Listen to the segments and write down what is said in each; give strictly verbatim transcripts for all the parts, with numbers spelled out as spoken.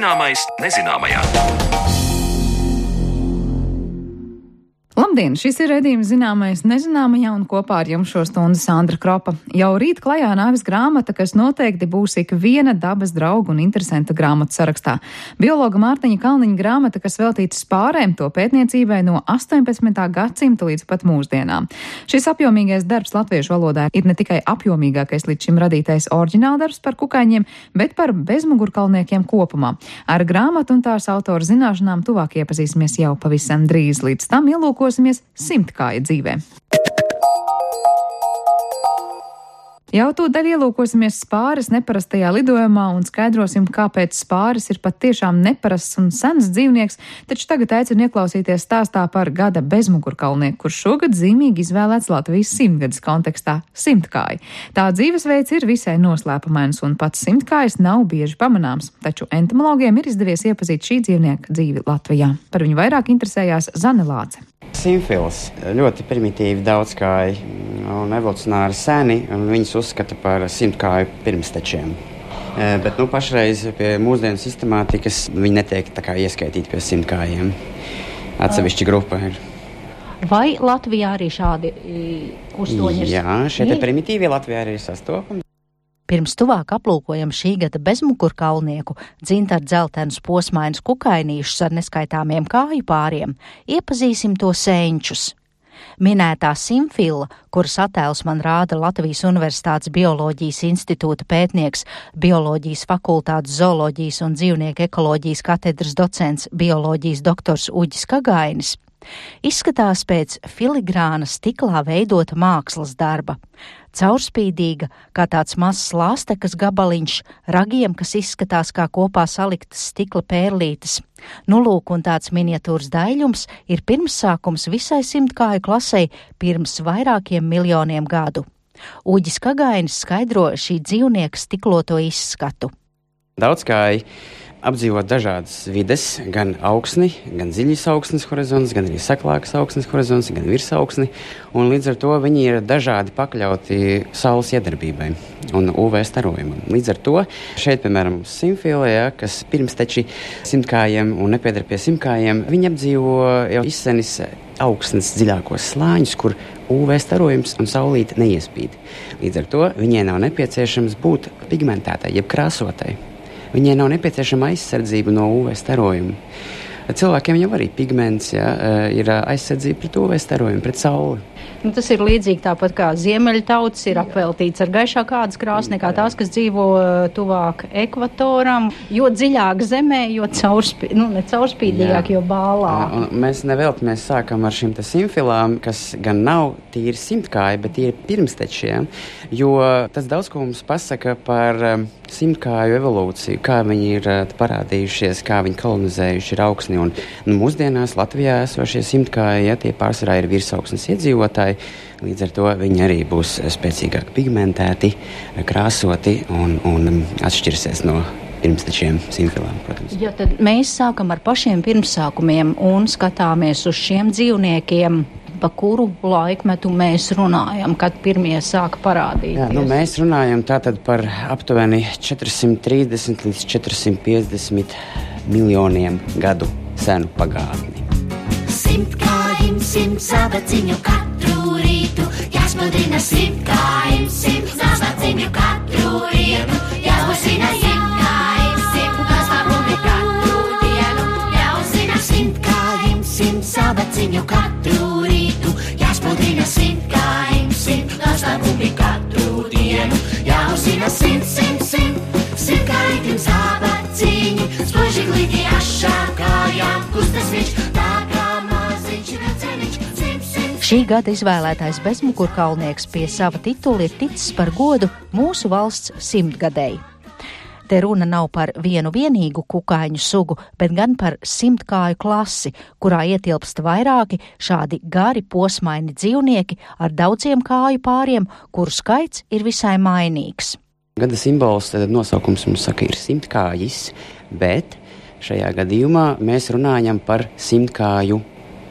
Zināmais nezināmajā. Labdien! Šis ir redzījums Zināmais nezināmajā un kopā ar jums šo stundu Sandra Kropa. Jau rīt klajā nāks grāmata, kas noteikti būs ik viena dabas drauga un interesanta grāmatu sarakstā. Biologa Mārtiņa Kalniņa grāmata, kas veltīta spārēm, to pētniecībai no astoņpadsmitā gadsimta līdz pat mūsdienām. Šis apjomīgais darbs latviešu valodā ir ne tikai apjomīgākais līdz šim radītais oriģināldarbs par kukaiņiem, bet par bezmugurkalniekiem kopumā. Ar grāmatu un tās autora zināšanām tuvāk iepazīsimies jau pavisam drīz. Līdz tam ielūkosimies simtkāja dzīvē. Jau tūdaļ ielūkosimies spāres neparastajā lidojumā un skaidrosim, kāpēc spāres ir pat tiešām neparasts un sens dzīvnieks, taču tagad aicinu ieklausīties stāstā par gada bezmugurkalnieku, kurš šogad zīmīgi izvēlēts Latvijas simtgades kontekstā - simtkāja. Tā dzīvesveids ir visai noslēpumains un pats simtkājs nav bieži pamanāms, taču entomologiem ir izdevies iepazīt šī dzīvnieka dzīvi Latvijā. Par viņu vairāk interesējās Zane Lāce. Simfils ļoti primitīvi daudzkāji un evolucionāri seni, un viņus uzskata par simtkāju pirmstečiem. Bet nu, pašreiz pie mūsdienu sistemātikas viņi netiek tā kā ieskaitīti pie simtkājiem. Atsevišķa grupa ir. Vai Latvijā arī šādi kustoņi ir? Jā, šie te primitīvie Latvijā arī ir sastopami. Pirms tuvāk aplūkojam šī gada bezmugurkalnieku, dzintar dzeltenus posmainus kukainīšus ar neskaitāmiem kāju pāriem, iepazīsim to senčus. Minētā simfila, kuras attēls man rāda Latvijas Universitātes Bioloģijas institūta pētnieks, Bioloģijas fakultātes zooloģijas un dzīvnieku ekoloģijas katedras docents bioloģijas doktors Uģis Kagainis, izskatās pēc filigrāna stiklā veidota mākslas darba. Caurspīdīga, kā tāds mazs lāstekas gabaliņš, ragiem, kas izskatās kā kopā saliktas stikla pērlītes. Nu lūk, un tāds miniatūras daļums ir pirmsākums visai simtkāju klasei pirms vairākiem miljoniem gadu. Uģis Kagainis skaidro šī dzīvnieka stikloto izskatu. Daudzkāji apdzīvot dažādas vides, gan augsni, gan dziļas augsnes horizons, gan arī saklākas augsnes horizons, gan virsaugsni, un līdz ar to viņi ir dažādi pakļauti saules iedarbībai un U V starojumam. Līdz ar to šeit, piemēram, simfilē, kas pirmsteči simtkājiem un nepiedar pie simtkājiem, viņi apdzīvo jau izsenis augsnes dziļākos slāņus, kur U V starojums un saulīte neiespīd. Līdz ar to viņai nav nepieciešams būt pigmentētai, jeb krāsotai. Viņai nav nepieciešama aizsardzība no U V starojuma. Cilvēkiem jau arī pigments, ja, ir aizsardzība pret U V starojumu, pret sauli. Nu, tas ir līdzīgi tāpat kā ziemeļtautas ir apveltīts ar gaišāku ādas krāsu nekā tās, kas dzīvo tuvāk ekvatoram, jo dziļāk zemē, jo caurspī, nu, ne caurspīdīgāk, jo bālāk. Un mēs nevelti mēs sākam ar šīm te simfilām, kas gan nav tīri simtkāji, bet ir pirmstečiem, jo tas daudz ko mums pasaka par um, simtkāju evolūciju, kā viņi ir uh, parādījušies, kā viņi kolonizējuši ir augsni. Un nu, mūsdienās Latvijā esošie simtkāji, ja, tie pārsvarā ir virsaugsnes iedzīvotāji, līdz ar to viņi arī būs spēcīgāk pigmentēti, krāsoti un, un atšķirsies no pirmstečiem simfilām, protams. Ja tad mēs sākam ar pašiem pirmsākumiem un skatāmies uz šiem dzīvniekiem, pa kuru laikmetu mēs runājam, kad pirmie sāka parādīties? Jā, nu, mēs runājam tātad par aptuveni četri simti trīsdesmit līdz četri simti piecdesmit miljoniem gadu senu pagātni. Simtkājim, simt zābaciņu katru rītu, jāsmudina simtkājim, simt zābaciņu katru rītu, jāuzina simtkājim, simt noslēpumi katru dienu, jāuzina simtkājim, simt zābaciņu katru rītu, jāsmudina simtkājim, simt noslēpumi katru dienu, jāuzina simt, simt, simt, simtkājim zābaciņi, spoži glīti ašā kājām, kustas viņš tā kā maziņš vilceniņš, simt, simt. Šī gada izvēlētais bezmugurkalnieks pie sava titula ir ticis par godu mūsu valsts simtgadēji. Te runa nav par vienu vienīgu kukaiņu sugu, bet gan par simtkāju klasi, kurā ietilpst vairāki šādi gari posmaini dzīvnieki ar daudziem kāju pāriem, kuru skaits ir visai mainīgs. Gada simbols, tad nosaukums mums saka, ir simtkājis, bet šajā gadījumā mēs runājam par simtkāju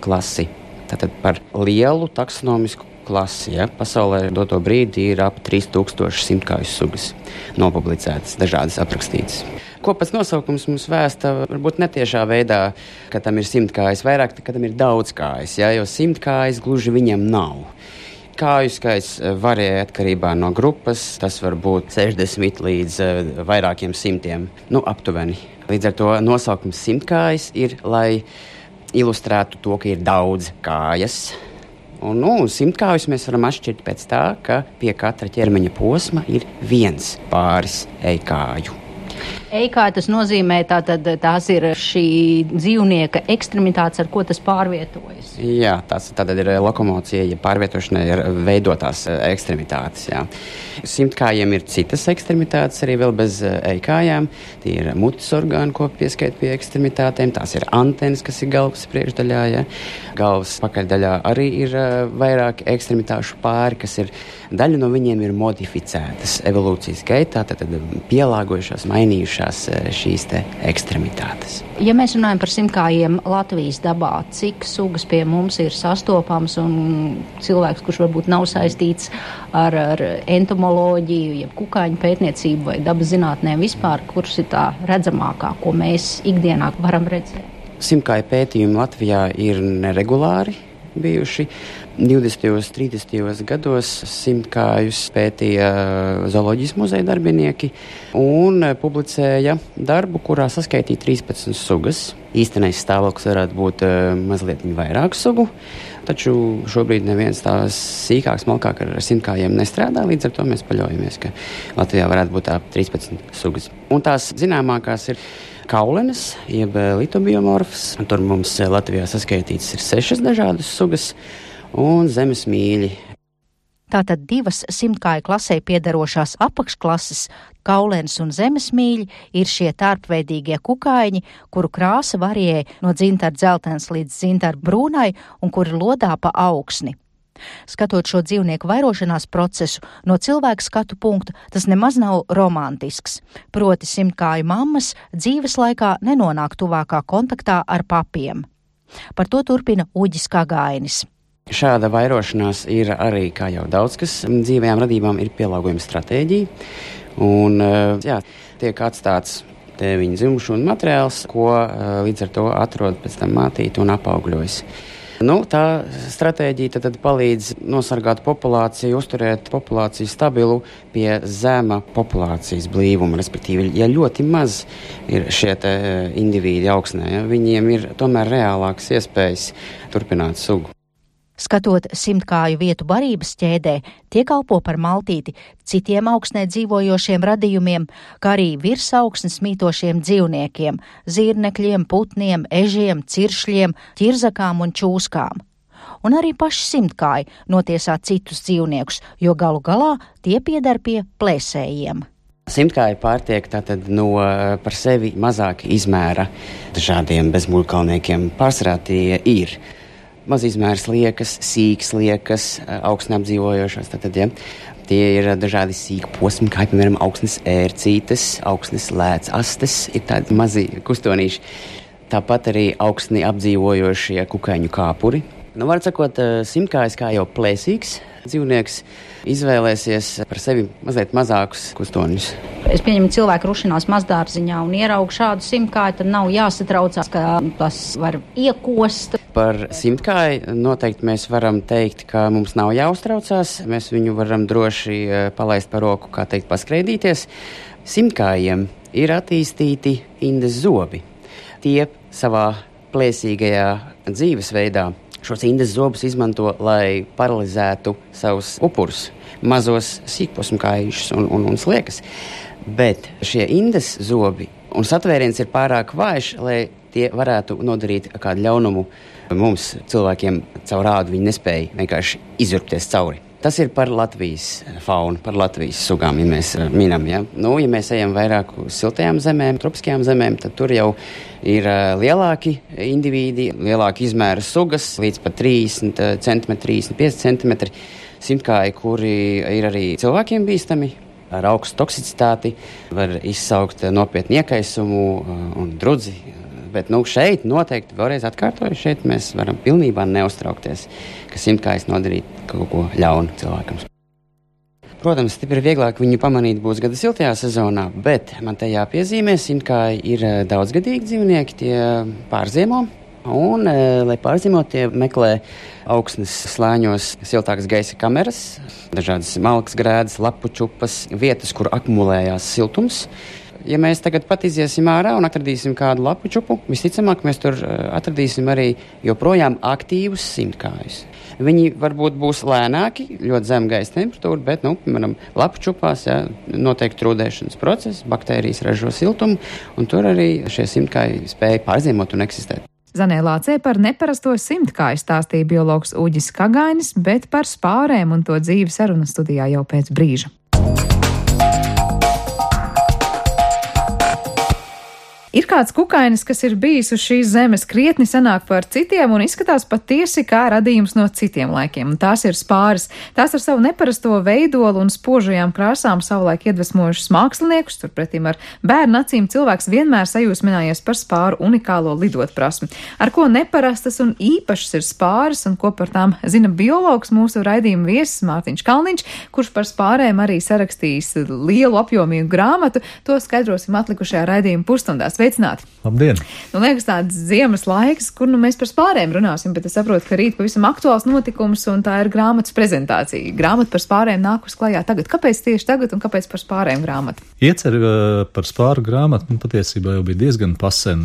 klasi. Tātad par lielu taksonomisku klasi. Ja? Pasaulē doto brīdi ir ap trīs tūkstoši simtkāju sugas nopublicētas, dažādas aprakstītas. Ko pats nosaukums mums vēsta, varbūt netiešā veidā, ka tam ir simtkājas, vairāk, ka tam ir daudz kājas, ja? Jo simtkājas gluži viņam nav. Kāju skaits varēja atkarībā no grupas, tas var būt sešdesmit līdz vairākiem simtiem, nu aptuveni. Līdz ar to nosaukums simtkājas ir, lai ilustrētu to, ka ir daudz kājas. Un, nu, simtkājus mēs varam atšķirt pēc tā, ka pie katra ķermeņa posma ir viens pāris ejkāju. Ejkāja tas nozīmē, tātad tās ir šī dzīvnieka ekstremitātes, ar ko tas pārvietojas. Jā, tas tātad ir lokomocija, ja pārvietošanai ir veidotās ekstremitātes, jā. Simtkājiem ir citas ekstremitātes, arī vēl bez ejkājām. Tie ir mutes orgāni, ko pieskait pie ekstremitātēm. Tās ir antenas, kas ir galvas priekšdaļā, jā. Galvas pakaļdaļā arī ir vairāk ekstremitāšu pāri, kas ir, daļa no viņiem ir modificētas evolūcijas gaitā, tātad pielāgojušās, mainījušās šīs te ekstremitātes. Ja mēs runājam par simtkājiem Latvijas dabā, cik sugas pie mums ir sastopams un cilvēks, kurš varbūt nav saistīts ar, ar entomoloģiju, jeb kukaiņu pētniecību vai dabas zinātnēm vispār, kurš ir tā redzamākā, ko mēs ikdienā varam redzēt? Simtkāju pētījumi Latvijā ir neregulāri bijuši. divdesmitajos, trīsdesmitajos gados simtkājus pētīja zooloģijas muzeja darbinieki un publicēja darbu, kurā saskaitīja trīspadsmit sugas. Īstenais stāvoklis varētu būt mazliet vairāk sugu, taču šobrīd neviens tās sīkāks, malkāk ar simtkājiem nestrādā, līdz ar to mēs paļaujamies, ka Latvijā varētu būt ap trīspadsmit sugas. Un tās zināmākās ir kaulenes, jeb litobiomorfs. Tur mums Latvijā saskaitītas ir sešas dažādas sugas un zemes mīļi. Tātad divas simtkāju klasē piedarošās apakšklases, kaulenes un zemes mīļi, ir šie tārpveidīgie kukaiņi, kuru krāsa varijē no dzintara dzeltens līdz dzintara brūnai un kuri lodā pa augsni. Skatot šo dzīvnieku vairošanās procesu no cilvēka skatu punkta, tas nemaz nav romantisks. Proti simtkāju mammas dzīves laikā nenonāk tuvākā kontaktā ar papiem. Par to turpina Uģis Kagainis. Šāda vairošanās ir arī, kā jau daudz kas dzīvajām radībām, ir pielāgojuma stratēģija. Un, jā, tiek atstāts te viņa dzimšana materiāls, ko līdz ar to atrod pēc tam mātīte un apaugļojas. Nu, tā stratēģija tad, tad palīdz nosargāt populāciju, uzturēt populāciju stabilu pie zema populācijas blīvuma. Respektīvi, ja ļoti maz ir šie te indivīdi augsnē, ja, viņiem ir tomēr reālākas iespējas turpināt sugu. Skatot simtkāju vietu barības ķēdē, tie kalpo par maltīti citiem augsnē dzīvojošiem radījumiem, kā arī virsaugsnes mītošiem dzīvniekiem – zirnekļiem, putniem, ežiem, ciršļiem, ķirzakām un čūskām. Un arī paši simtkāji notiesā citus dzīvniekus, jo galu galā tie pieder pie plēsējiem. Simtkāji pārtiek tātad no par sevi mazāka izmēra dažādiem bezmūļkalniekiem. Pārsvarā tie ir mazizmērs liekas, sīks liekas, augsnē apdzīvojošās. Tātad, ja, tie ir dažādi sīki posmi, kā piemēram augsnes ērcītes, augsnes lēc astes, ir tādi mazi kustonīši. Tāpat arī augsni apdzīvojošie kukaiņu kāpuri. Nu, var sakot, simtkājs kā jau plēsīgs dzīvnieks izvēlēsies par sevi mazliet mazākus kustoņus. Es pieņemu, cilvēku rušinās mazdārziņā un ieraugu šādu simtkāju, tad nav jāsatraucās, ka tas var iekost. Par simtkāju noteikti mēs varam teikt, ka mums nav jāuztraucās. Mēs viņu varam droši palaist par roku, kā teikt, paskreidīties. Simtkājiem ir attīstīti indes zobi. Tie savā plēsīgajā dzīvesveidā šos indes zobus izmanto, lai paralizētu savus upurus, mazos sīkposmkājušus un, un, un sliekas. Bet šie indes zobi un satvēriens ir pārāk vājš, lai tie varētu nodarīt kādu ļaunumu mums, cilvēkiem, caur ādu. Viņi nespēja vienkārši izurpties cauri. Tas ir par Latvijas faunu, par Latvijas sugām, ja mēs minam. Ja? Nu, ja mēs ejam vairāk uz siltajām zemēm, tropiskajām zemēm, tad tur jau ir uh, lielāki indivīdi, lielāki izmēra sugas, līdz pat trīsdesmit centimetri, trīsdesmit pieci centimetri. Simtkāji, kuri ir arī cilvēkiem bīstami, ar augstu toksicitāti, var izsaukt nopietnu iekaisumu uh, un drudzi, Bet nu, šeit noteikti vēlreiz atkārtoju, šeit mēs varam pilnībā neuztraukties, ka simtkājs nodarīt kaut ko ļaunu cilvēkam. Protams, stipri vieglāk viņu pamanīt būs gada siltajā sezonā, bet man te jāpiezīmē, simtkāji ir daudzgadīgi dzīvnieki, tie pārziemo. Un, lai pārzīmot, tie meklē augsnes slāņos siltākas gaisa kameras, dažādas malkas grēdas, lapu čupas, vietas, kur akumulējās siltums. Ja mēs tagad pat iziesim ārā un atradīsim kādu lapu čupu, visticamāk mēs tur atradīsim arī joprojām aktīvus simtkājus. Viņi varbūt būs lēnāki, ļoti zem gaisa temperatūra, bet, nu, piemēram, lapu čupās, jā, noteikti trūdēšanas process, baktērijas ražo siltumu, un tur arī šie simtkāji spēja pārziemot un eksistēt. Zanē Lācē par neparasto simtkāju stāstīja biologs Uģis Kagainis, bet par spārēm un to dzīvi sarunas studijā jau pēc brīža. Ir kāds kukainis, kas ir bijis uz šīs zemes krietni senāk par citiem un izskatās patiesi kā radījums no citiem laikiem. Un tās ir spāris. Tās ar savu neparasto veidolu un spožajām krāsām savulaik iedvesmojušas māksliniekus, turpretīm ar bērnu acīm cilvēks vienmēr sajūsminājies par spāru unikālo lidot prasmi. Ar ko neparastas un īpašas ir spāris un ko par tām zina biologs mūsu raidījuma viesis Mārtiņš Kalniņš, kurš par spārēm arī sarakstījis lielu apjomīgu grāmatu. To skaidrosim atlikušajā raidījuma pusstundās. Sveicināti! Labdien! Nu, liekas tāds ziemas laiks, kur nu mēs par spārēm runāsim, bet es saprotu, ka rīt pavisam aktuāls notikums un tā ir grāmatas prezentācija. Grāmata par spārēm nākus klajā tagad. Kāpēc tieši tagad un kāpēc par spārēm grāmata? Iecer par spāru grāmatu, nu, patiesībā jau bija diezgan pasen,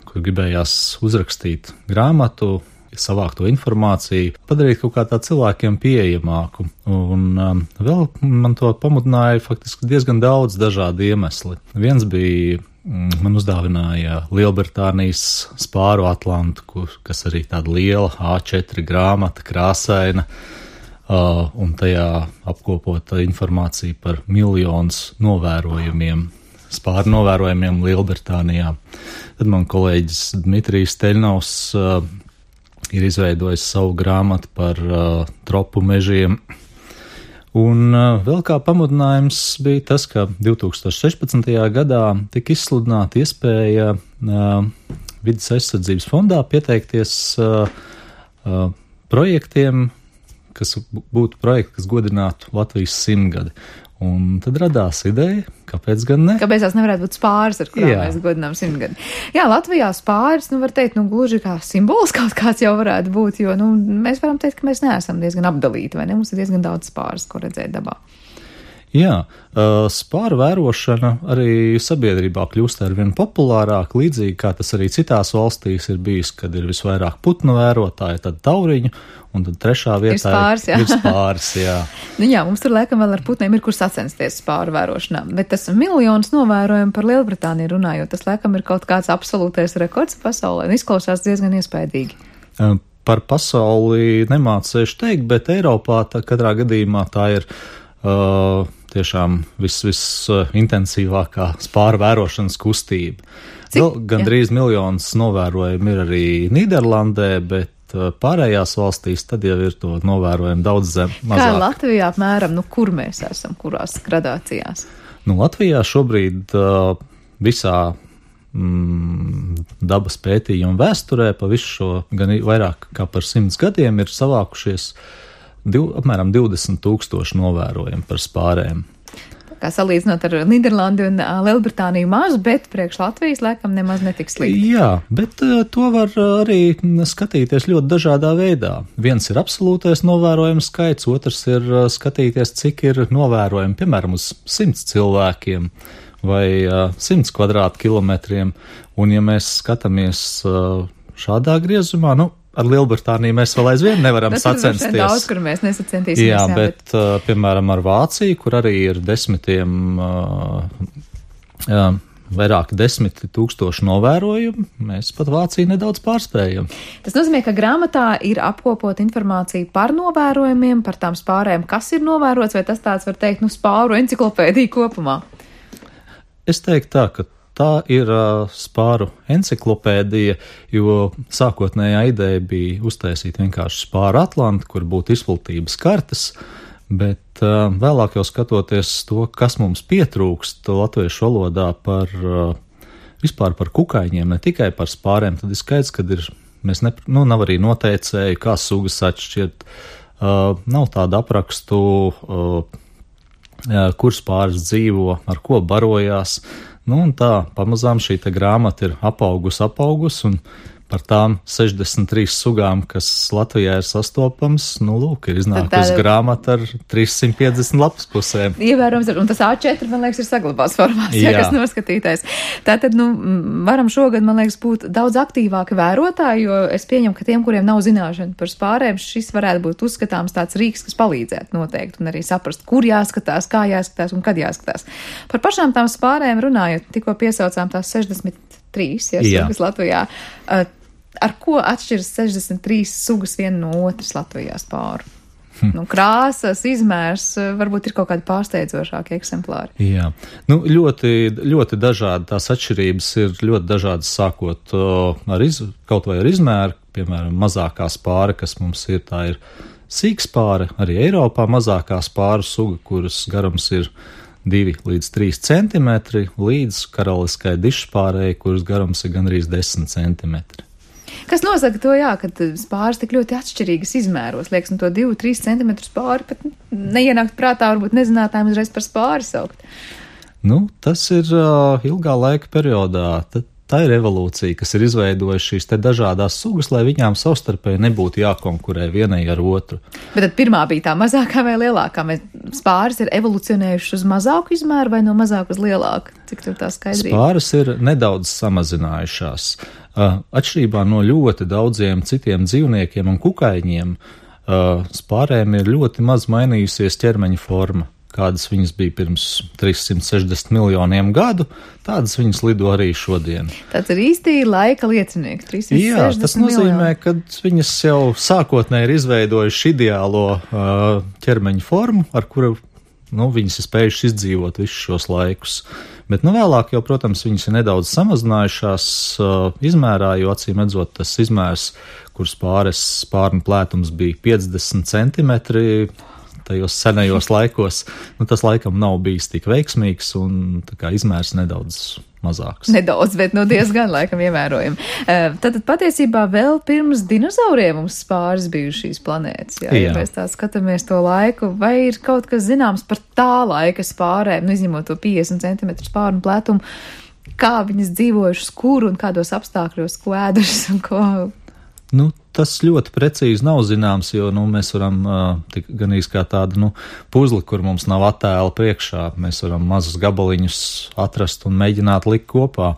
kur gribējās uzrakstīt grāmatu, savākt to informāciju, padarīt kaut kā tā cilvēkiem pieejamāku. Un um, vēl man to pamudināja faktiski diezgan daudz dažādi iemesli. Viens bija, mm, man uzdāvināja Lielbritānijas spāru Atlantu, kas arī tāda liela A četri grāmata, krāsaina, uh, un tajā apkopota informācija par miljonus novērojumiem, spāru novērojumiem Lielbritānijā. Tad man kolēģis Dmitrijs Teļnaus uh, ir izveidojis savu grāmatu par uh, tropu mežiem. Un uh, vēl kā pamudinājums bija tas, ka divi tūkstoši sešpadsmitajā gadā tika izsludināta iespēja uh, Vides aizsardzības fondā pieteikties uh, uh, projektiem, kas būtu projekti, kas godinātu Latvijas simtgadi. Un tad radās ideja, kāpēc gan ne? Kāpēc tās nevarētu būt spāris, ar kurām Jā. mēs godinām simtgadi? Jā, Latvijā spāris, nu var teikt, nu gluži kā simbols kaut kāds jau varētu būt, jo, nu, mēs varam teikt, ka mēs neesam diezgan apdalīti, vai ne? Mums ir diezgan daudz spāris, ko redzēt dabā. Jā, spāru vērošana arī sabiedrībā kļūst ar vien populārāk, līdzīgi kā tas arī citās valstīs ir bijis, kad ir visvairāk putnu vērotāji, tad tauriņu, un tad trešā vietā ir spāris, jā. Ir spāris, jā. Nu jā, mums tur laikam vēl ar putniem ir kur sacensties spāru vērošanā, bet tas miljonus novērojumu par Lielbritāniju runājot, tas laikam ir kaut kāds absolūtais rekords pasaulē, un izklausās diezgan iespaidīgi. Par pasauli nemācēšu teikt, bet Eiropā tā, katrā gadījumā tā ir uh, tiešām vis, visintensīvākā spāru vērošanas kustība. Vēl gandrīz miljonus novērojumu ir arī Nīderlandē, bet pārējās valstīs tad jau ir to novērojumu daudz zem, mazāk. Kā Latvijā apmēram, nu kur mēs esam, kurās gradācijās? Nu, Latvijā šobrīd uh, visā mm, dabas pētījuma vēsturē pa visu šo gan vairāk kā par simts gadiem ir savākušies Div, apmēram divdesmit tūkstoši novērojumu par spārēm. Kā salīdzinot ar Nīderlandi un Lielbritāniju maz, bet priekš Latvijas laikam nemaz netiks slikti. Jā, bet uh, to var arī skatīties ļoti dažādā veidā. Viens ir absolūtais novērojums skaits, otrs ir uh, skatīties, cik ir novērojumi, piemēram, uz simts cilvēkiem vai uh, simts kvadrātkilometriem. Un ja mēs skatāmies uh, šādā griezumā, nu, ar Lielbritāniju mēs vēl aizvien nevaram sacensties. Tas ir daudz, kur mēs nesacentīsimies. Jā, jā bet, bet... Uh, piemēram, ar Vāciju, kur arī ir desmitiem, uh, jā, vairāk desmit tūkstoši novērojumu, mēs pat Vāciju nedaudz pārspējam. Tas nozīmē, ka grāmatā ir apkopot informāciju par novērojumiem, par tām spārēm, kas ir novērots, vai tas tāds, var teikt, nu, spāru enciklopēdija kopumā? Es teiktu tā, ka tā ir uh, spāru enciklopēdija, jo sākotnējā ideja bija uztaisīt vienkārši spāru Atlantu, kur būtu izplatības kartes, bet uh, vēlāk jau skatoties to, kas mums pietrūkst latviešu valodā par uh, vispār par kukaiņiem, ne tikai par spārēm, tad ir skaidrs, ka ir, mēs ne, nu, nav arī noteicēji, kā sugas atšķirt, uh, nav tādu aprakstu, uh, kur spāris dzīvo, ar ko barojās. Nu, un tā, pamazām šī te grāmata ir apaugus, apaugus, un par tām sešdesmit trīs sugām, kas Latvijā ir sastopams, nu, lūk, ir iznākusi tāda... grāmata ar trīssimt piecdesmit lapas pusēm. Ievērojams, un tas A četri, man liekas, ir saglabāts formās, ja kas noskatītais. Tātad, nu, varam šogad, man liekas, būt daudz aktīvāki vērotāji, jo es pieņemu, ka tiem, kuriem nav zināšana par spārēm, šis varētu būt uzskatāms tāds rīks, kas palīdzētu noteikti, un arī saprast, kur jāskatās, kā jāskatās un kad jāskatās. Par pašām tām spārēm runājot, tikko piesaucām tās sešdesmit trīs, ja, sugas Latvijā. Ar ko atšķiras sešdesmit trīs sugas viena no otras Latvijā spāru? Hm. Nu, krāsas, izmērs, varbūt ir kaut kādi pārsteidzošāki eksemplāri. Jā, nu, ļoti, ļoti dažādi tās atšķirības ir ļoti dažādas, sākot uh, ar iz, kaut vai ar izmēru, piemēram, mazākā spāra, kas mums ir, tā ir sīkspāre, arī Eiropā mazākā spāru suga, kuras garums ir divi līdz trīs centimetri, līdz karaliskai dišspārei, kuras garums ir gandrīz desmit centimetri. Kas nosaka to, jā, ka spāris tik ļoti atšķirīgas izmēros, liekas, un to divu, trīs centimetru spāri pat neienākt prātā, varbūt nezinātājiem uzreiz par spāri saukt. Nu, tas ir uh, ilgā laika periodā. Tad tā ir evolūcija, kas ir izveidojusi šīs te dažādās sugas, lai viņām savstarpēji nebūtu jākonkurē vienai ar otru. Bet tad pirmā bija tā mazākā vai lielākā? Vai spāris ir evolucionējuši uz mazāku izmēru vai no mazāku uz lielāku? Cik tur tā skaidrība? Spāris ir nedaudz samazinājušās. Atšķirībā no ļoti daudziem citiem dzīvniekiem un kukaiņiem, spārēm ir ļoti maz mainījusies ķermeņa forma. Kādas viņas bija pirms trīssimt sešdesmit miljoniem gadu, tādas viņas lido arī šodien. Tāds ir īsti laika liecinieks, trīssimt sešdesmit Jā, tas nozīmē, miljoni. ka viņas jau sākotnēji ir izveidojuši ideālo uh, ķermeņa formu, ar kuru nu, viņas ir spējušas izdzīvot visus šos laikus. Bet nu, vēlāk jau, protams, viņas ir nedaudz samazinājušās uh, izmērā, jo acīm redzot tas izmērs, kur spāres spārnu plētums bija piecdesmit centimetri, tajos senajos laikos, nu, tas laikam nav bijis tik veiksmīgs un tā kā izmērs nedaudz mazāks. Nedaudz, bet nu diezgan laikam ievērojami. Tad patiesībā vēl pirms dinozauriem mums spāris bijuši šīs planētas. Jā, ja mēs tā skatāmies to laiku, vai ir kaut kas zināms par tā laika spārēm, nu izņemot to piecdesmit centimetru spārnu plētumu, kā viņas dzīvojušas, kur un kādos apstākļos, ko ēdušas un ko... Nu, tas ļoti precīzi nav zināms, jo nu, mēs varam uh, tik, gan īsti kā tādu nu, puzli, kur mums nav attēla priekšā. Mēs varam mazus gabaliņus atrast un mēģināt likt kopā.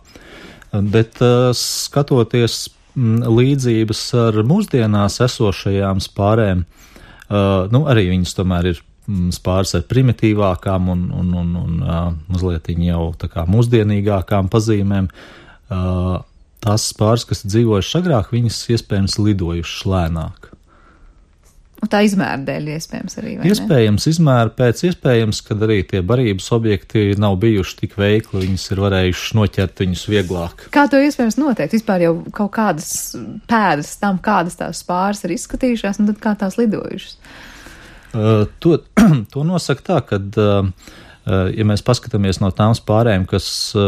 Bet uh, skatoties m, līdzības ar mūsdienās esošajām spārēm, uh, nu, arī viņas tomēr ir m, spāres ar primitīvākām un, un, un, un uh, mazliet jau tā kā mūsdienīgākām pazīmēm. Uh, Tās spāres, kas dzīvojušas agrāk, viņas iespējams lidojušas lēnāk. Un tā izmēra dēļ iespējams arī, vai iespējams, ne? Izmēra pēc iespējams, kad arī tie barības objekti nav bijuši tik veikli, viņas ir varējuši noķert viņus vieglāk. Kā to iespējams noteikt? Vispār jau kaut kādas pēdas tam, kādas tās spāres ir izskatījušās, un tad kā tās lidojušas? Uh, to, to nosaka tā, kad... Uh, Ja mēs paskatāmies no tām spārēm, kas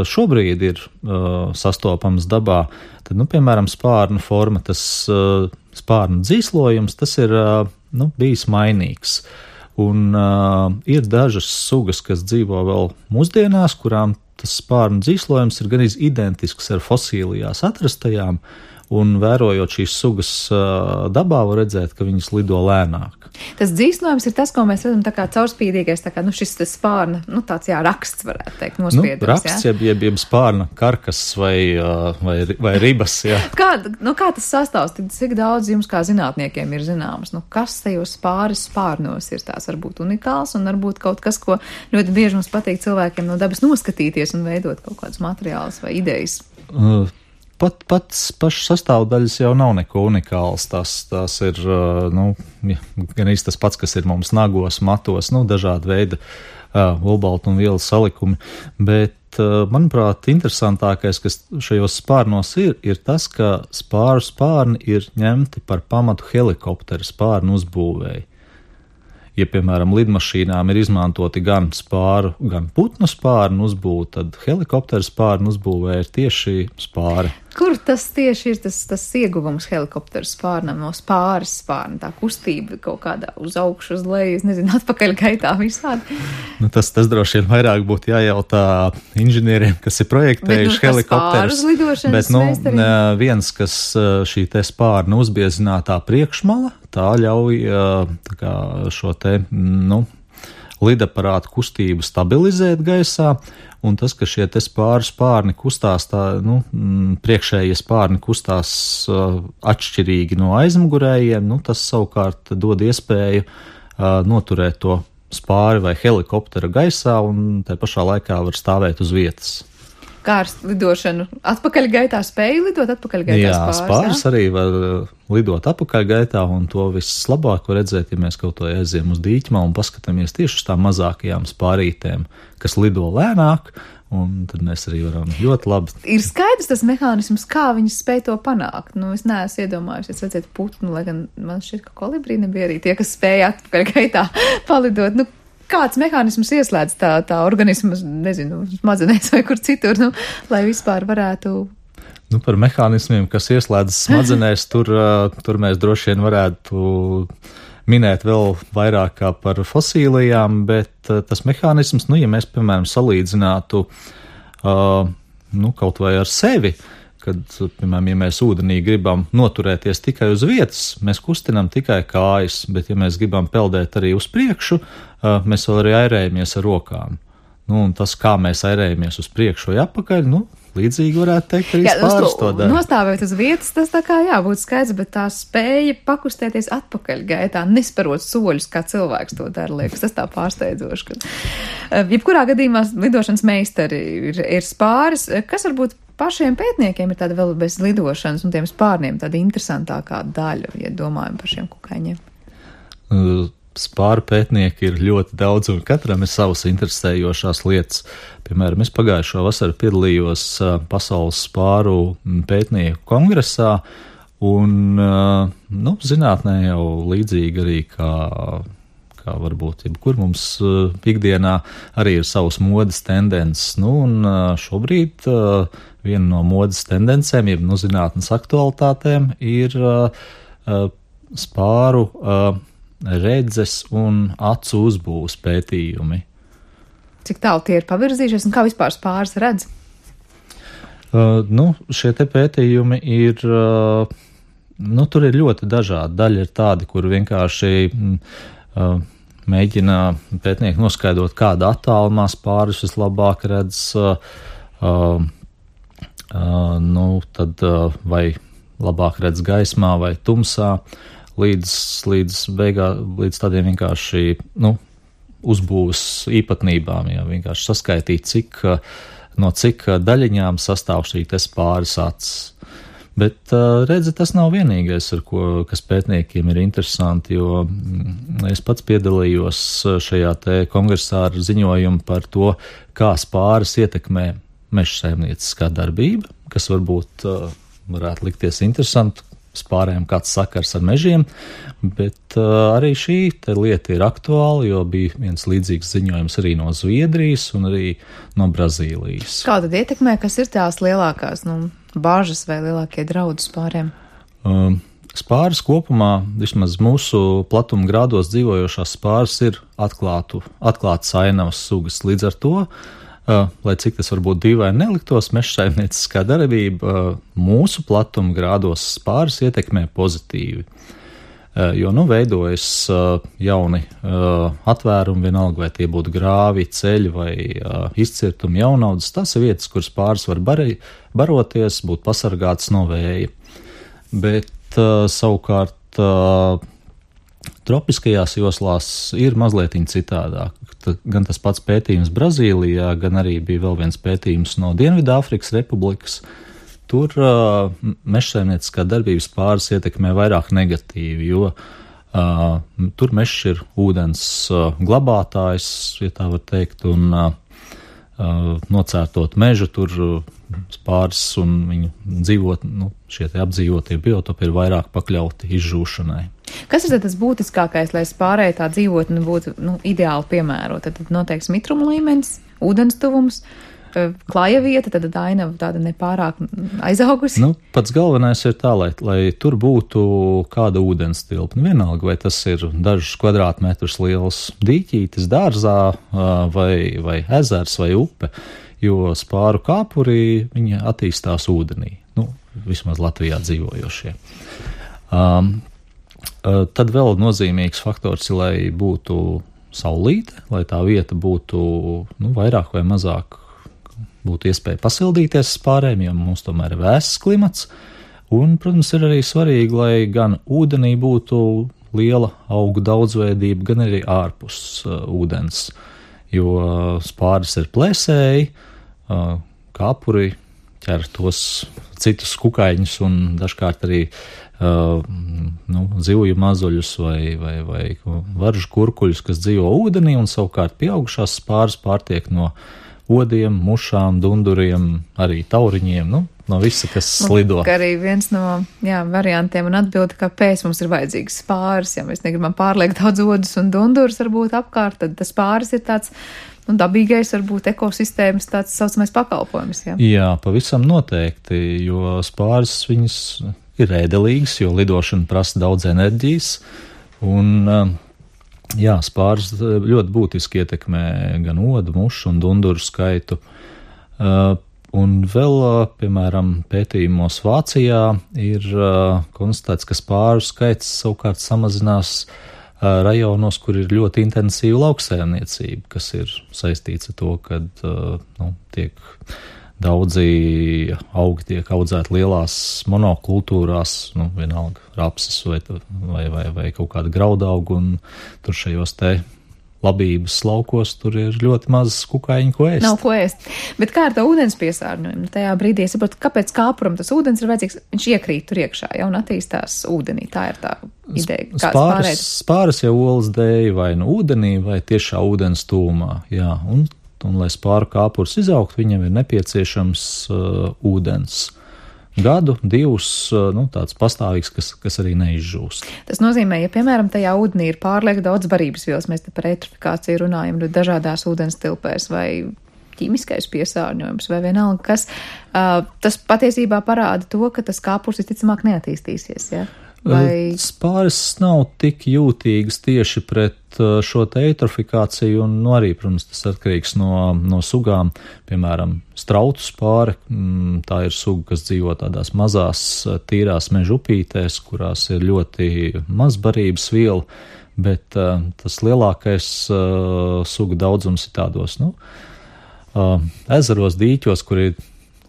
šobrīd ir uh, sastopamas dabā, tad, nu, piemēram, spārnu forma, tas uh, spārnu dzīslojums, tas ir uh, nu, bijis mainīgs. Un uh, ir dažas sugas, kas dzīvo vēl mūsdienās, kurām tas spārnu dzīslojums ir gan identisks ar fosīlijās atrastajām, un vērojot šīs sugas uh, dabā, var redzēt, ka viņas lido lēnāk. Tas dzīslojums ir tas, ko mēs redzam tā kā caurspīdīgais, tā kā, nu, šis tas spārna, nu, tāds, jā, raksts, varētu teikt, nospiedums, nu, raksts, jā? Jeb, jeb, jeb spārna karkas vai, uh, vai, vai ribas, jā. Kā, nu, kā tas sastāvs, cik daudz jums kā zinātniekiem ir zināms? Nu, kas tajos spāris spārnos ir tās varbūt unikāls un varbūt kaut kas, ko ļoti bieži mums patīk cilvēkiem no dabas noskatīties un veidot kaut kādus materiālus vai idejas? Uh. Pat pats pašas sastāvdaļas jau nav neko unikāls. Tas, tas ir nu, gan īsti tas pats, kas ir mums nagos, matos, nu, dažādi veidi uh, olbaltu un vielu salikumi. Bet, uh, manuprāt, interesantākais, kas šajos spārnos ir, ir tas, ka spāru spārni ir ņemti par pamatu helikopteru spārnu uzbūvēji. ja, piemēram, lidmašīnām ir izmantoti gan spāru, gan putnu spārnu uzbūve, tad helikopteru spārnu uzbūvē ir tieši spāri. Kur tas tieši ir tas, tas ieguvums helikopteru spārnam no spāres spārna, tā kustība kaut kādā uz augšu, uz leju, es nezinu, atpakaļ gaitā visādi? Nu, tas, tas droši vien vairāk būtu jājautā inženieriem, kas ir projektējuši bet, nu, helikopterus. Bet, nu, viens, kas šī te spārna uzbiezinātā priekšmala, tā ļauj tā kā šo te, nu, lidaparātu kustību stabilizēt gaisā, un tas, ka šie te spāru spārni kustās, tā, nu, priekšējie spārni kustās uh, atšķirīgi no aizmugurējiem, nu, tas savukārt dod iespēju uh, noturēt to spāri vai helikoptera gaisā, un tai pašā laikā var stāvēt uz vietas. Kā ar lidošanu atpakaļ gaitā spēju lidot atpakaļ gaitā jā, spāris? Spāris jā? Arī var lidot atpakaļ gaitā, un to vislabāk var redzēt, ja mēs kaut to aiziem uz dīķmā un paskatāmies tieši uz tām mazākajām spārītēm, kas lido lēnāk, un tad mēs arī varam ļoti labi. Ir skaidrs tas mehānisms, kā viņas spēj to panākt. Nu, es neesmu iedomājušies redzēt putnu, lai gan man šķiet, ka kolibrī nebija arī tie, kas spēja atpakaļ gaitā palidot. Nu, kāds mehānisms ieslēdz tā, tā organismas, nezinu, smadzenēs vai kur citur, nu, lai vispār varētu... Nu, par mehānismiem, kas ieslēdz smadzenēs, tur, tur mēs droši vien varētu minēt vēl vairāk kā par fosīlijām, bet tas mehānisms, nu, ja mēs, piemēram, salīdzinātu, uh, nu, kaut vai ar sevi, kad, piemēram, ja mēs ūdenī gribam noturēties tikai uz vietas, mēs kustinām tikai kājas, bet ja mēs gribam peldēt arī uz priekšu, mēs vēl arī airējamies ar rokām. Nu, un tas, kā mēs airējamies uz priekšu vai atpakaļ, nu, līdzīgi varētu teikt, arī spāris to dara. Nostāvēt uz vietas, tas tā kā jābūt skaidrs, bet tā spēja pakustēties atpakaļ gaitā, nesparot soļus, kā cilvēks to dara, liekas, tas tā pārsteidzoši. Ka, jebkurā gadījumā lidošanas meistari ir, ir spāris, kas varbūt pašiem pētniekiem ir tāda vēl bez lidošanas un tiem spārniem tāda interesantākā daļa, ja domājam par šiem kukaiņiem. Uh. Spāru pētnieki ir ļoti daudz, un katram ir savas interesējošās lietas. Piemēram, es pagājušo vasaru piedalījos Pasaules spāru pētnieku kongresā, un, nu, zinātnē jau līdzīgi arī kā, kā varbūt jebkur mums ikdienā arī ir savas modes tendences. Nu, un šobrīd viena no modes tendencēm, jeb no zinātnes aktualitātēm, ir spāru redzes un acu uzbūves pētījumi. Cik tālu tie ir pavirzījušies un kā vispār spāris redz? Uh, nu, šie te pētījumi ir, uh, nu, tur ir ļoti dažādi. Daļa ir tādi, kur vienkārši uh, mēģina pētnieki noskaidrot, kāda attālumā spāris vislabāk redz, uh, uh, uh, nu, tad uh, vai labāk redz gaismā vai tumsā. Līdz, līdz, beigā, līdz tādiem vienkārši, nu, uzbūves īpatnībām, ja vienkārši saskaitīt, cik, no cik daļiņām sastāv šī te spāris acis. Bet, redzi, tas nav vienīgais, ar ko, kas pētniekiem ir interesanti, jo es pats piedalījos šajā te kongresā ar ziņojumu par to, kā spāris ietekmē mežsaimnieciskā darbība, kas varbūt varētu likties interesanti, spārēm kāds sakars ar mežiem, bet uh, arī šī te lieta ir aktuāla, jo bija viens līdzīgs ziņojums arī no Zviedrijas un arī no Brazīlijas. Kā tad ietekmē, kas ir tās lielākās, nu, bāžas vai lielākie draudi spāriem? Um, spāris kopumā, vismaz mūsu platuma grādos dzīvojošās spāris ir atklātu, atklātas ainavas sugas. Līdz ar to, Uh, lai cik tas varbūt dīvaini neliktos, mežsaimnieciskā darbība uh, mūsu platuma grādos spāris ietekmē pozitīvi. Uh, jo, nu, veidojas uh, jauni uh, atvērumi, vienalga vai tie būtu grāvi, ceļi vai uh, izcirtumi jaunaudas. Tas ir vietas, kur spāris var barī, baroties, būt pasargāts no vēja. Bet uh, savukārt uh, tropiskajās joslās ir mazliet citādāk. Gan tas pats pētījums Brazīlijā, gan arī bija vēl viens pētījums no Dienvidāfrikas Republikas. Tur uh, mežsaimnieciskā darbības spāris ietekmē vairāk negatīvi, jo uh, tur mežs ir ūdens uh, glabātājs, ja tā var teikt, un uh, uh, nocērtot mežu, tur uh, spāris un viņu dzīvot, nu, šie te apdzīvotie biotopi ir vairāk pakļauti izžūšanai. Kas ir tad tas būtiskākais, lai spārei tā dzīvotne būtu nu, ideāli piemērota? Tad noteikti mitruma līmenis, ūdens tuvums, klāja vieta, tad ainava tāda nepārāk aizaugusi. Nu, pats galvenais ir tā, lai, lai tur būtu kāda ūdens tilpne. Vienalga, vai tas ir dažus kvadrātmetrus liels dīķītis dārzā vai, vai ezers vai upe, jo spāru kāpurī viņa attīstās ūdenī. Nu, vismaz Latvijā dzīvojošie. Um, tad vēl nozīmīgs faktors ir, lai būtu saulīte, lai tā vieta būtu nu, vairāk vai mazāk būtu iespēja pasildīties spārēm, jo mums tomēr ir vēss klimats. Un, protams, ir arī svarīgi, lai gan ūdenī būtu liela augu daudzveidība, gan arī ārpus uh, ūdens, jo spāris ir plēsēji, uh, kāpuri ķer tos citus kukaiņus un dažkārt arī uh, nu, zivju mazuļus vai, vai, vai varžu kurkuļus, kas dzīvo ūdenī, un savukārt pieaugušās spāris pārtiek no odiem, mušām, dunduriem, arī tauriņiem, nu, no visa, kas slido. Un arī viens no jā, variantiem un atbildi, kāpēc mums ir vajadzīgs spāris, ja mēs negribam pārliekt daudz odus un dundurus varbūt apkārt, tad tas spāris ir tāds nu, dabīgais, varbūt ekosistēmas tāds saucamais pakalpojums. Jā, jā pavisam noteikti, jo spāris viņas ir ēdelīgas, jo lidošana prasa daudz enerģijas, un jā, spāris ļoti būtiski ietekmē gan odu, mušu un dunduru skaitu. Uh, un vēl, piemēram, pētījumos Vācijā ir uh, konstatēts, ka spāru skaits savukārt samazinās uh, rajonos, kur ir ļoti intensīva lauksaimniecība, kas ir saistīts ar to, ka uh, nu, tiek daudzi augi tiek audzēti lielās monokultūrās, nu, vienalga rapses vai, vai, vai, vai kaut kāda graudauga, un tur šajos te labības laukos tur ir ļoti maz kukaiņu, ko ēst. Nav ko ēst. Bet kā ar to ūdens piesārņojumu? Tajā brīdī es saprotu, kāpēc kāpuram tas ūdens ir vajadzīgs, viņš iekrīt tur iekšā, ja, un attīstās ūdenī. Tā ir tā ideja. Spāris, spāris jau olas dēja vai nu ūdenī, vai tiešā ūdens tūmā, jā, un Un, lai spāru kāpurs izaugt, viņam ir nepieciešams uh, ūdens. Gadu, divus, uh, nu, tāds pastāvīgs, kas, kas arī neizžūst. Tas nozīmē, ja, piemēram, tajā ūdenī ir pārlieku daudz barības vielas, mēs te par eitrofikāciju runājam, dažādās ūdens tilpēs vai ķīmiskais piesārņojums vai vienalga, kas, uh, tas patiesībā parāda to, ka tas kāpurs visticamāk neattīstīsies, ja? Vai... Spāris nav tik jūtīgs tieši pret šo te eitrofikāciju, un nu, arī, protams, tas atkarīgs no, no sugām. Piemēram, strautu spāre, tā ir suga, kas dzīvo tādās mazās tīrās meža upītēs, kurās ir ļoti maz barības viela, bet uh, tas lielākais uh, suga daudzums ir tādos, nu, uh, ezeros, dīķos, kur ir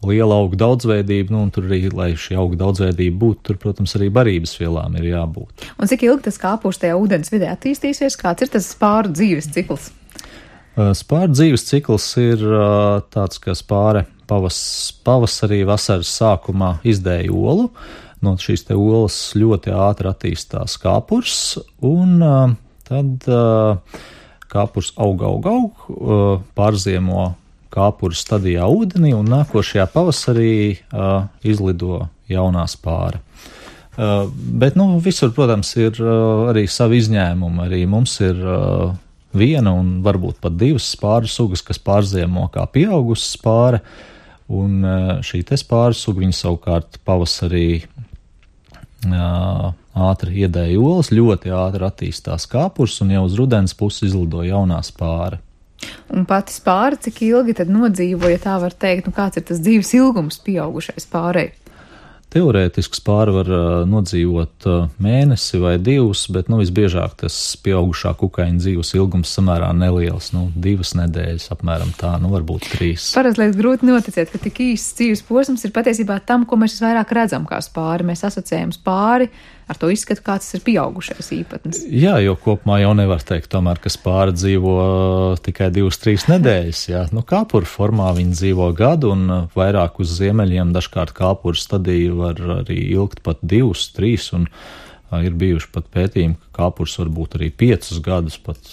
liela auga daudzveidība, nu, un tur arī, lai šī auga daudzveidība būtu, tur, protams, arī barības vielām ir jābūt. Un cik ilgi tas kāpurs tajā ūdens vidē attīstīsies? Kāds ir tas spāru dzīves cikls? Spāru dzīves cikls ir tāds, ka spāre pavas, pavasarī, vasaras sākumā izdēja olu. No šīs te olas ļoti ātri attīstās kāpurs, un tad kāpurs aug, aug, aug, pārziemo kāpuru stadijā ūdenī, un nākošajā pavasarī uh, izlido jaunā spāra. Uh, bet, nu, visur, protams, ir uh, arī savi izņēmumi. Arī mums ir uh, viena un varbūt pat divas spāru sugas, kas pārziemo kā pieaugusi spāre, un uh, šī te spāru suga, viņa savukārt pavasarī uh, ātri iedēja olas, ļoti ātri attīstās kāpurs, un jau uz rudens pusi izlido jaunā spāra. Un pati spāra, cik ilgi tad nodzīvo, ja tā var teikt, nu kāds ir tas dzīves ilgums pieaugušai spārei? Teorētiski spāra var uh, nodzīvot uh, mēnesi vai divus, bet nu, visbiežāk tas pieaugušā kukaiņa dzīves ilgums samērā neliels, nu, divas nedēļas apmēram tā, nu, varbūt trīs. Parasti liekas grūti noticēt, ka tik īsts dzīves posms ir patiesībā tam, ko mēs visvairāk redzam kā spāri. Mēs asociējam spāri ar to izskatu, kāds ir pieaugušais īpatnis. Jā, jo kopumā jau nevar teikt tomēr, ka spāra dzīvo tikai divas, trīs nedēļas, jā. Nu, kāpuru formā viņi dzīvo gadu, un vairāk uz ziemeļiem dažkārt kāpuru stadiju var arī ilgt pat divus, trīs, un ir bijuši pat pētījumi, ka kāpurs var būt arī piecus gadus pat.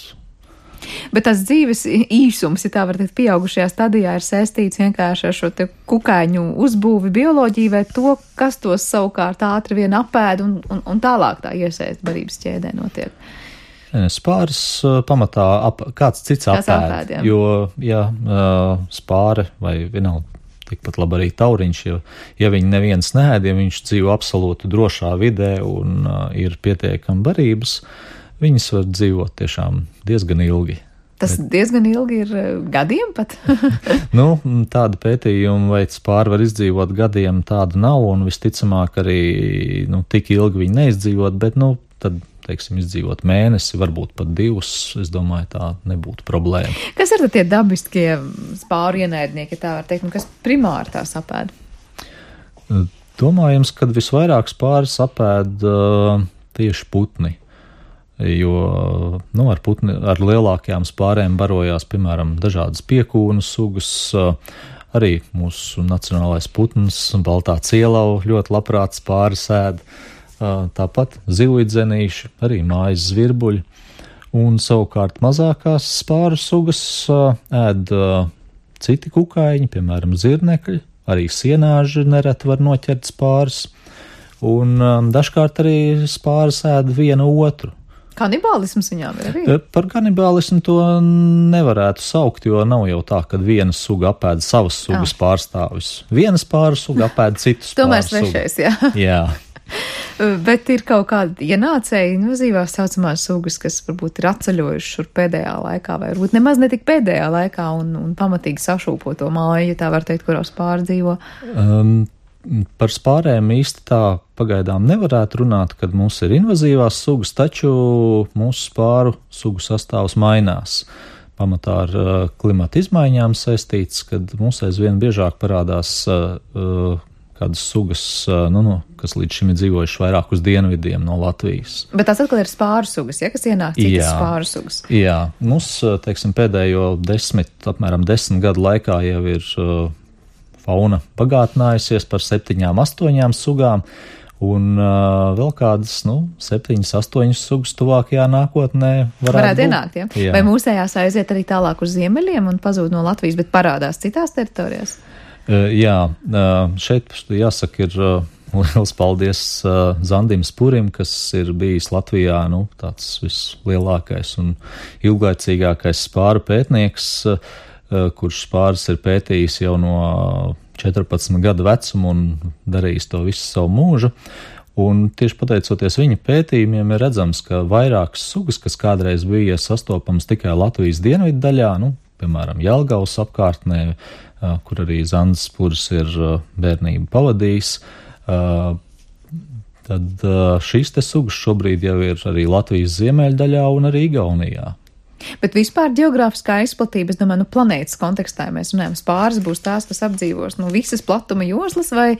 Bet tas dzīves īsums, ja tā var teikt, pieaugušajā stadijā ir saistīts vienkārši ar šo te kukaiņu uzbūvi bioloģiju vai to, kas tos savukārt ātri vien apēd un, un, un tālāk tā iesaist barības ķēdē notiek. Spāris pamatā ap, kāds cits apēd, apēd jo, ja spāre vai vienalga tikpat labi arī tauriņš, jo, ja viņi neviens neēd, ja viņš dzīvo absolūti drošā vidē un uh, ir pietiekami barības, viņas var dzīvot tiešām diezgan ilgi. Tas Bet... diezgan ilgi ir gadiem pat? Nu, tāda pētījuma, vai spāri var izdzīvot gadiem, tāda nav, un visticamāk arī, nu, tik ilgi viņi neizdzīvot, bet, nu, tad, teiksim, izdzīvot mēnesi, varbūt pat divus, es domāju, tā nebūtu problēma. Kas ir tad tie dabiskie spāru ienaidnieki, tā var teikt, un kas primāri tās apēd? Domājams, kad visvairāk spāris apēd uh, tieši putni. Jo nu, ar, putni, ar lielākajām spārēm barojās, piemēram, dažādas piekūnu sugas, arī mūsu nacionālais putns, baltā cielava ļoti labprāt spāri ēd, tāpat zivīdzenīši, arī mājas zvirbuļi, un savukārt mazākās spāru sugas ēd citi kukaiņi, piemēram, zirnekļi, arī sienāži nereti var noķert spāris, un dažkārt arī spāris ēd vienu otru. Kanibālisms viņām ir arī? Par kanibālismu to nevarētu saukt, jo nav jau tā, ka viena suga apēd savas sugas ah. pārstāvis. Viena spāru suga apēd citus spāru Tomēr svešais, jā. jā. Bet ir kaut kāda ienācēja invazīvās saucamās sugas, kas varbūt ir atceļojuši šur pēdējā laikā, vai varbūt nemaz netik pēdējā laikā un, un pamatīgi sašūpo to māju, ja tā var teikt, kurā spāri dzīvo. Um, Par spārēm īsti tā pagaidām nevarētu runāt, kad mums ir invazīvās sugas, taču mūsu spāru sugu sastāvs mainās. Pamatā ar uh, klimata izmaiņām saistīts, kad mums aizvien biežāk parādās uh, kādas sugas, uh, nu, no, kas līdz šim ir dzīvojuši vairāk uz dienvidiem no Latvijas. Bet tās atkal ir spāru sugas, ja, kas ienāk citas jā, spāru sugas? Jā, mums, teiksim, pēdējo desmit, apmēram desmit gadu laikā jau ir uh, fauna bagātinājusies par septiņām, astoņām sugām, un uh, vēl kādas, nu, septiņas, astoņas sugas tuvākajā nākotnē varētu, varētu ienākt, ja? Jā. Vai mūsējās aiziet arī tālāk uz ziemeļiem un pazūd no Latvijas, bet parādās citās teritorijās? Uh, jā, uh, šeit jāsaka ir uh, liels paldies uh, Zandim Spurim, kas ir bijis Latvijā, nu, tāds vislielākais un ilglaicīgākais spāru pētnieks, uh, kurš spāris ir pētījis jau no četrpadsmit gadu vecuma un darījis to visu savu mūžu. Un tieši pateicoties viņa pētījumiem ir redzams, ka vairākas sugas, kas kādreiz bija sastopams tikai Latvijas dienvidu daļā, nu, piemēram, Jelgavas apkārtnē, kur arī Zandis Spuris ir bērnību pavadījis, tad šīs te sugas šobrīd jau ir arī Latvijas ziemeļdaļā un arī Igaunijā. Bet vispār geogrāfiskā izplatība, es domāju, nu, planētas kontekstā mēs runājam, spāris būs tās, kas apdzīvos, nu, visas platuma joslas, vai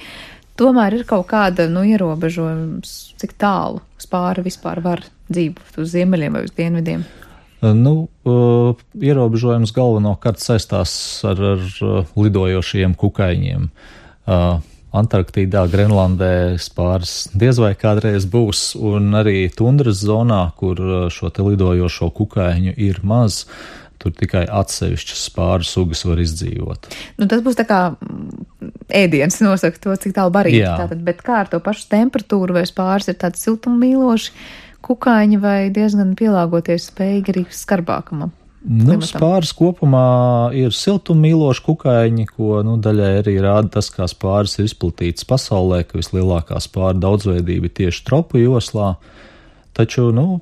tomēr ir kaut kāda, nu, ierobežojums, cik tālu spāri vispār var dzīvot uz ziemeļiem vai uz dienvidiem? Nu, uh, ierobežojums galvenokārt saistās ar, ar lidojošiem kukaiņiem. Uh, Antarktīdā, Grenlandē spāris diez vai kādreiz būs, un arī tundras zonā, kur šo te lidojošo kukaiņu ir maz, tur tikai atsevišķas spāru sugas var izdzīvot. Nu, tas būs tā kā ēdiens nosaka to, cik tālu barīgi. Tātad, bet kā ar to pašu temperatūru, vai spāris ir tādi siltummīloši kukaiņi, vai diezgan pielāgoties spējīgi arī skarbākam? Nu, spāris kopumā ir siltummīloši kukaiņi, ko, nu, daļai arī rāda tas, kā spāris ir izplatīts pasaulē, ka vislielākā spāra daudzveidība ir tieši tropu joslā, taču, nu,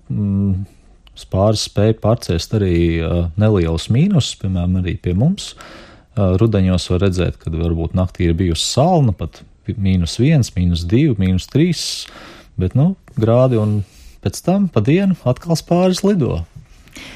spāris spēja pārciest arī uh, nelielus mīnusus, piemēram, arī pie mums. Uh, rudeņos var redzēt, kad varbūt naktī ir bijusi salna, pat mīnus viens, mīnus divi, mīnus trīs, bet, nu, grādi, un pēc tam pa dienu atkal spāris lido.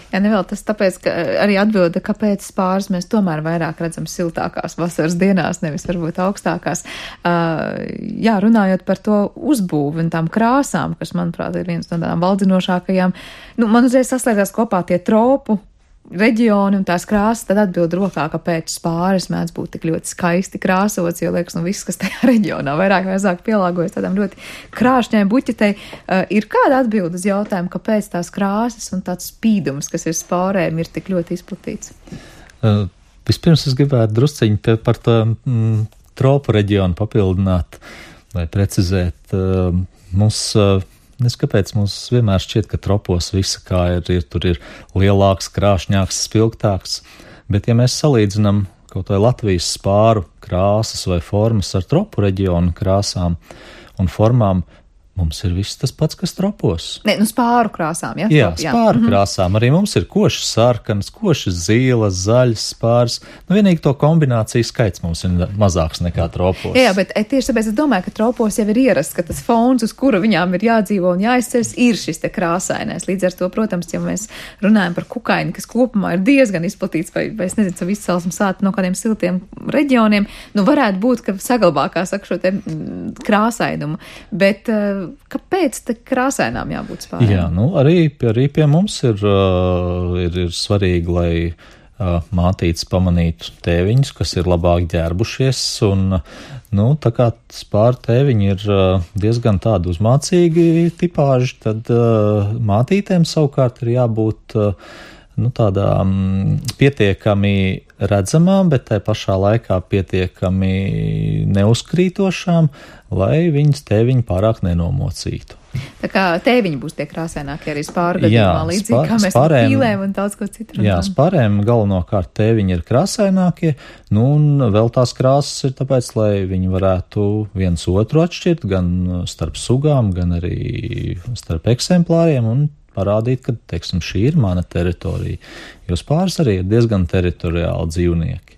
Jā, nevēl tas tāpēc, ka arī atbilda, kāpēc spāris mēs tomēr vairāk redzam siltākās vasaras dienās, nevis varbūt augstākās. Uh, jā, runājot par to uzbūvi un tām krāsām, kas, manuprāt, ir viens no tādām valdzinošākajām, nu, man uzreiz saslēdzās kopā tie tropu reģioni un tās krāsas, tad atbild rokā, kāpēc Spāris mēdz būt tik ļoti skaisti krāsots, jo liekas, nu viss, kas tajā reģionā vairāk vai mazāk pielāgojas tādām ļoti krāšņai buķetei. Uh, ir kāda atbilde uz jautājumu, kāpēc tās krāsas un tāds spīdums, kas ir Spārēm, ir tik ļoti izplatīts? Uh, vispirms es gribētu drusciņi par to mm, tropu reģionu papildināt vai precizēt. Uh, mums uh, Es kāpēc mums vienmēr šķiet, ka tropos visa kā ir, ir, tur ir lielāks, krāšņāks, spilgtāks, bet ja mēs salīdzinām kaut vai Latvijas spāru krāsas vai formas ar tropu reģionu krāsām un formām, mums ir viss tas pats, kas tropos. Ne, nu spāru krāsām, ja? Jā, Trop, jā. spāru mm-hmm. krāsām. Arī mums ir košas sarkanas, košas zīles, zaļas spārs. Nu, vienīgi to kombināciju skaits mums ir mazāks nekā tropos. Jā, jā, bet tieši tāpēc es domāju, ka tropos jau ir ierasts, ka tas fons, uz kura viņām ir jādzīvo un jāizceļas, ir šis te krāsainais. Līdz ar to, protams, ja mēs runājam par kukaini, kas kopumā ir diezgan izplatīts, vai, vai es nezinu, savu izcelsmu sāta no kādiem siltiem reģioniem, nu varētu būt, ka saglabā, kā saka, šo te mm, krāsainumu. Bet kāpēc te krāsainām jābūt spārēm? Jā, nu arī, arī pie mums ir, uh, ir, ir svarīgi, lai uh, mātītes pamanītu tēviņus, kas ir labāk ģērbušies, un, nu, tā kā spāru tēviņi ir uh, diezgan tādi uzmācīgi tipāži, tad uh, mātītēm savukārt ir jābūt uh, nu, tādām pietiekami redzamām, bet tai pašā laikā pietiekami neuzkrītošām, lai viņas tēviņi pārāk nenomocītu. Tā kā tēviņi būs tie krāsainākie arī spāru gadījumā, līdzīgi spār, kā mēs spārēm, par pīlēm un daudz ko citu. Jā, spārēm galvenokārt tēviņi ir krāsainākie, nu un vēl tās krāsas ir tāpēc, lai viņi varētu viens otru atšķirt, gan starp sugām, gan arī starp eksemplāriem un parādīt, ka, teiksim, šī ir mana teritorija, jo spārs arī ir diezgan teritoriāli dzīvnieki.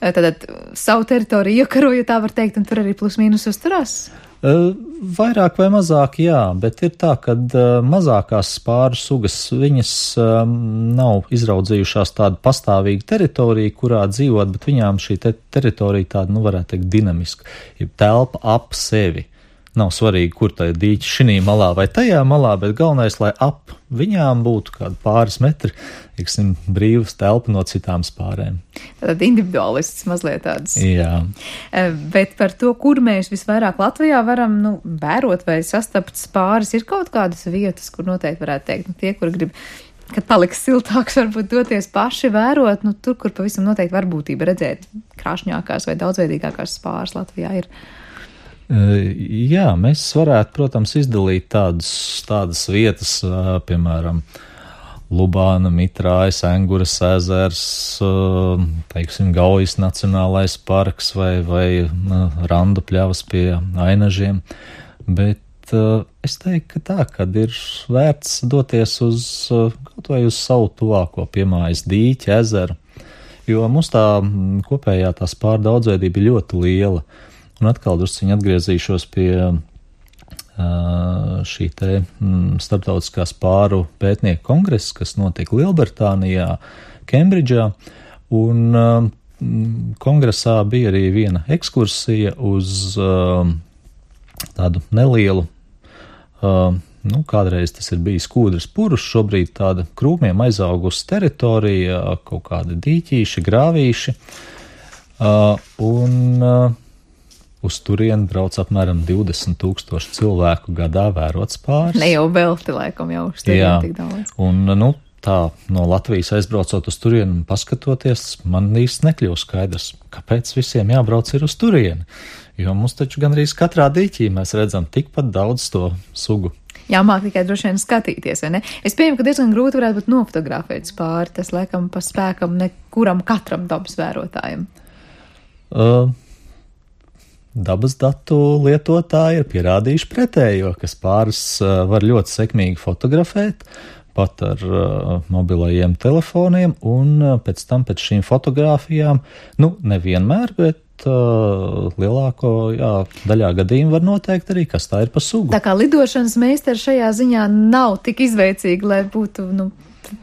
Tātad savu teritoriju iekaroju, tā var teikt, un tur arī plus mīnus uzturās? Vairāk vai mazāk, jā, bet ir tā, ka mazākās spāru sugas, viņas nav izraudzījušās tādu pastāvīgu teritoriju, kurā dzīvot, bet viņām šī te teritorija tāda, nu varētu teikt, dinamiska, ir telpa ap sevi. Nav svarīgi, kur tā ir dīķi šinī malā vai tajā malā, bet galvenais, lai ap viņām būtu kādi pāris metri, teiksim, brīvas telpa no citām spārēm. Tātad individualists mazliet tāds. Jā. Bet par to, kur mēs visvairāk Latvijā varam, nu, vērot vai sastapt spāris, ir kaut kādas vietas, kur noteikti varētu teikt, nu, tie, kur grib, kad paliks siltāks, varbūt doties paši vērot, nu, tur, kur pavisam noteikti varbūtība redzēt krāšņākās vai daudzveidīgākās spāris Latvijā ir. Jā, mēs varētu, protams, izdalīt tādas, tādas vietas, piemēram, Lubāna, Mitrājas, Enguras ezers, teiksim, Gaujas nacionālais parks vai, vai Randu pļavas pie Ainažiem, bet es teiktu, ka tā, kad ir vērts doties uz, kaut vai uz savu tuvāko piemājas dīķi, ezeru, jo mums tā kopējā tā spāru daudzveidība ir ļoti liela. Un atkal drusciņi atgriezīšos pie uh, šī te mm, starptautiskā spāru pētnieku kongresa, kas notika Lielbritānijā, Kembridžā, un uh, kongresā bija arī viena ekskursija uz uh, tādu nelielu, uh, nu, kādreiz tas ir bijis Kūdras purus, šobrīd tāda krūmiem aizaugusi teritorija, kaut kādi dīķīši, grāvīši, uh, un uh, uz turieni brauc apmēram divdesmit tūkstoši cilvēku gadā vērot spāris. Ne jau velti, laikam, jau uz turieni tik daudz. Un, nu, tā, no Latvijas aizbraucot uz turieni un paskatoties, man īsti nekļūst skaidrs, kāpēc visiem jābrauc ir uz turieni. Jo mums taču gandrīz katrā dīķī mēs redzam tikpat daudz to sugu. Jāmāk tikai droši vien skatīties, vai ne? Es pieņemu, ka diezgan grūti varētu būt nofotografēt spāri, tas laikam pa spēkam nekuram katram dabas vērotājam. Uh, Dabas datu lietotāji ir pierādījuši pretējo, ka spārus uh, var ļoti sekmīgi fotografēt, pat ar uh, mobilajiem telefoniem, un uh, pēc tam pēc šīm fotogrāfijām, nu, nevienmēr, bet uh, lielāko, jā, daļā gadījumu var noteikt arī, kas tā ir pa sugu. Tā kā lidošanas meistari šajā ziņā nav tik izveicīgi, lai būtu, nu,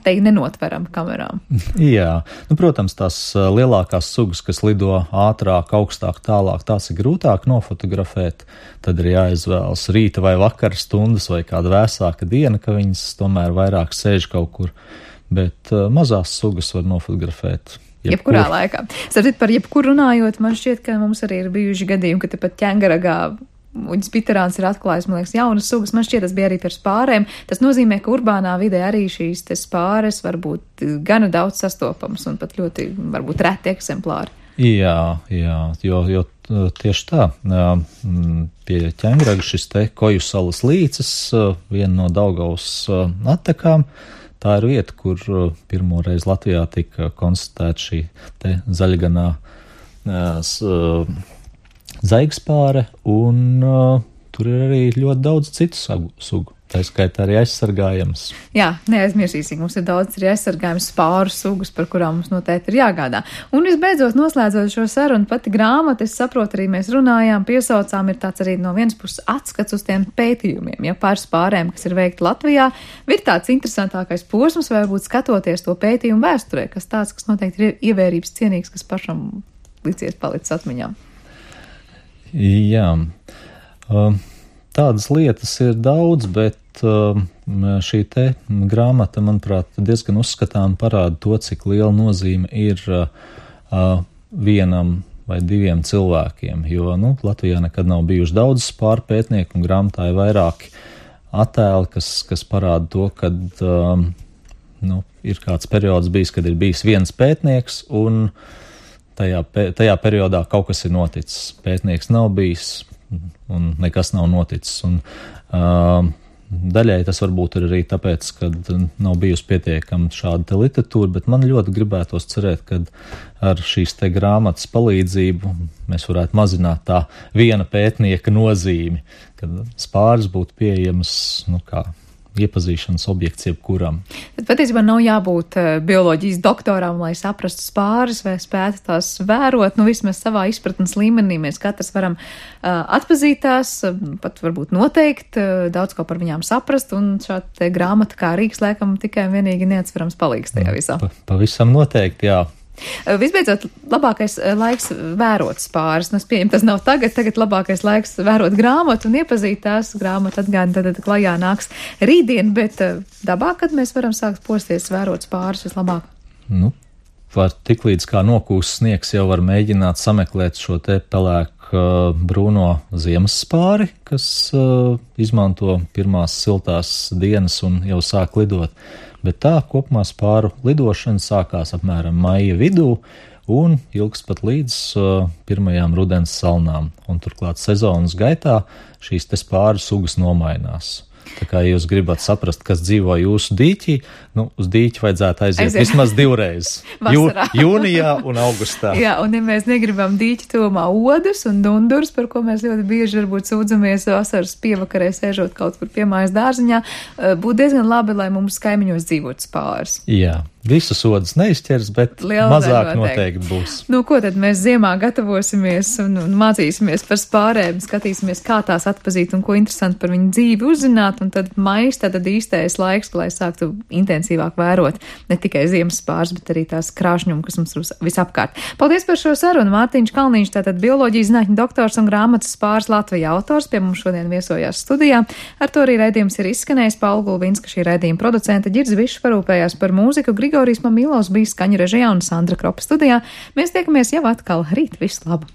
te nenotveram kamerām. Jā, nu, protams, tās lielākās sugas, kas lido ātrāk, augstāk, tālāk, tās ir grūtāk nofotografēt, tad ir jāizvēlas rīta vai vakara stundas vai kāda vēsāka diena, ka viņas tomēr vairāk sēž kaut kur. bet uh, mazās sugas var nofotografēt. Jebkurā jebkur. laikā. Starp par jebkuru runājot, man šķiet, ka mums arī ir bijuši gadījumi, ka tepat ķengaragā uģis piterāns ir atklājis, man liekas, jaunas sugas. Man šķiet, tas bija arī par spārēm. Tas nozīmē, ka urbānā vidē arī šīs te spāres var būt gana daudz sastopamas un pat ļoti, varbūt, reti eksemplāri. Jā, jā, jo, jo tieši tā. Pie ķengaraga šis te Koju salas līcis, viena no Daugavas attekām. Tā ir vieta, kur pirmo reizi Latvijā tika konstatēta šī te zaļganā zaigspāre, un uh, tur ir arī ļoti daudz citu sugu. Tā skaitā arī aizsargājams. Jā, neaizmirsīsim, mums ir daudz arī aizsargājums spāru sugas, par kurām mums noteikti ir jāgādā. Un visbeidzot, noslēdzot šo sarunu, pati grāmata, es saprotu, arī mēs runājām, piesaucām, ir tāds arī no vienas puses atskats uz tiem pētījumiem, ja par spārēm, kas ir veikti Latvijā, ir tāds interesantākais posms, vai varbūt skatoties to pētījumu vēsturē, kas tāds, kas noteikti ir ievērības cienīgs, kas pašam licies palicis atmiņā. Jā, tādas lietas ir daudz, bet šī te grāmata, manuprāt, diezgan uzskatām parāda to, cik liela nozīme ir vienam vai diviem cilvēkiem, jo, nu, Latvijā nekad nav bijuši daudz spāru pētnieku, un grāmatā ir vairāki attēli, kas, kas parāda to, kad, nu, ir kāds periods bijis, kad ir bijis viens pētnieks, un Tajā, tajā periodā kaut kas ir noticis. Pētnieks nav bijis un nekas nav noticis. Un, uh, daļai tas varbūt ir arī tāpēc, ka nav bijusi pietiekama šāda te literatūra, bet man ļoti gribētos cerēt, ka ar šīs te grāmatas palīdzību mēs varētu mazināt tā viena pētnieka nozīmi, kad spāris būtu pieejams, nu kā, iepazīšanas objekts jebkuram. Bet patiesībā nav jābūt uh, bioloģijas doktoram, lai saprastu spāris vai spētu tās vērot. Nu, vismaz savā izpratnes līmenī mēs katrs varam uh, atpazīt tās, uh, pat varbūt noteikt, uh, daudz ko par viņām saprast, un šāda grāmata kā rīks laikam tikai un vienīgi neatsverams palīgs tajā visā. Pa, pavisam noteikti, jā. Visbeidzot, labākais laiks vērot spāris. Nu, es pieņemu, tas nav tagad, tagad labākais laiks vērot grāmatu un iepazīt tās. Grāmatu atgādina, tad, tad klajā nāks rītdien, bet dabā, kad mēs varam sākt posties vērot spāris vislabāk? Nu, var tik līdz kā nokūst sniegs, jau var mēģināt sameklēt šo te pelēku uh, brūno ziemas spāri, kas uh, izmanto pirmās siltās dienas un jau sāk lidot. Bet tā kopumā spāru lidošana sākās apmēram maija vidū un ilgs pat līdz uh, pirmajām rudens salnām. Un turklāt sezonas gaitā šīs te spāru sugas nomainās. Tā kā jūs gribat saprast, kas dzīvo jūsu dīķī, nu, uz dīķi vajadzētu aiziet Aiziet. vismaz divreiz. Jū, jūnijā un augustā. Jā, un ja mēs negribam dīķi tuvumā odus un dundurs, par ko mēs ļoti bieži varbūt sūdzamies vasaras pievakarē sēžot kaut kur pie mājas dārziņā, būtu diezgan labi, lai mums kaimiņos dzīvot spāris. Jā. Visus odus neizķers, bet Liela mazāk noteikti. noteikti būs. Nu, ko tad mēs ziemā gatavosimies un, un mācīsimies par spārēm, skatīsimies, kā tās atpazīt un ko interesanti par viņu dzīvi uzzināt, un tad maijs tad īstais laiks, lai sāktu intensīvāk vērot ne tikai ziemas spārs, bet arī tās krāšņumu, kas mums ir visapkārt. Paldies par šo sarunu. Mārtiņš Kalniņš, tātad bioloģijas zinātņu doktors un grāmatas Spāris Latvijā autors, pie mums šodien viesojās studijā. Ar to arī raidījums ir izskanējis. Paula Gulbinska, šī raidījuma producente, Ģirds Bišs parūpējās par mūziku, Grigorijs Mamilovs bija skaņu režijā un Sandra Kropa studijā. Mēs tiekamies jau atkal rīt. Visu labu!